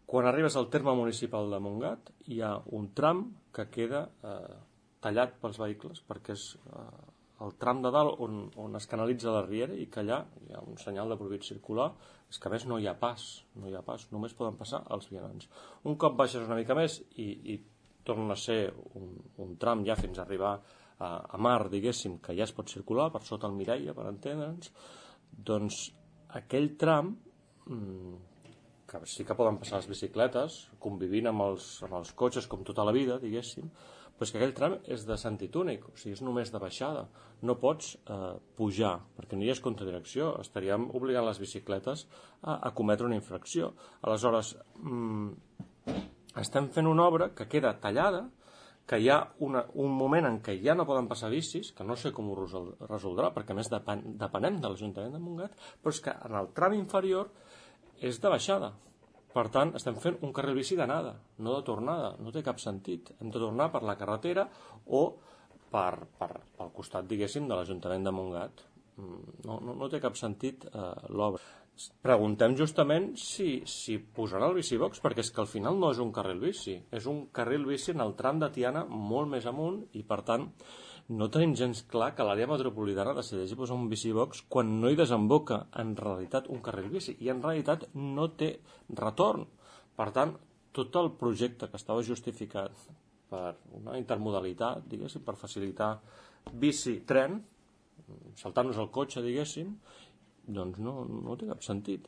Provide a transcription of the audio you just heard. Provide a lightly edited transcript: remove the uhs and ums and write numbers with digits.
Quan arribes al terme municipal de Montgat hi ha un tram que queda tallat pels vehicles perquè és el tram de dalt on es canalitza la riera i que allà hi ha un senyal de prohibit circular, és que a més no hi ha pas, només poden passar els vianants. Un cop baixes una mica més i torna a ser un tram ja fins a arribar a mar, diguéssim, que ja es pot circular per sota el Mireia, per entendre'ns, doncs aquell tram que sí que poden passar les bicicletes convivint amb els cotxes com tota la vida, diguéssim, però és que aquell tram és de sentit únic, o sigui, és només de baixada, no pots pujar perquè no hi és contradirecció, estaríem obligant les bicicletes a cometre una infracció. Aleshores estem fent una obra que queda tallada, que hi ha un moment en què ja no poden passar bicis, que no sé com ho resoldrà, perquè a més depenem de l'Ajuntament de Montgat, però és que en el tram inferior és de baixada. Per tant, estem fent un carril bici d'anada, no de tornada, no té cap sentit. Hem de tornar per la carretera o pel costat, diguéssim, de l'Ajuntament de Montgat. No té cap sentit l'obra. Preguntem justament si posaran el bicibox, perquè és que al final no és un carril bici, és un carril bici en el tram de Tiana molt més amunt i, per tant, no tenim gens clar que l'àrea metropolitana decideixi posar un bicibox quan no hi desemboca en realitat un carril bici i en realitat no té retorn. Per tant, tot el projecte que estava justificat per una intermodalitat, diguéssim, per facilitar bici-tren, saltant-nos el cotxe, diguéssim, doncs no té cap sentit.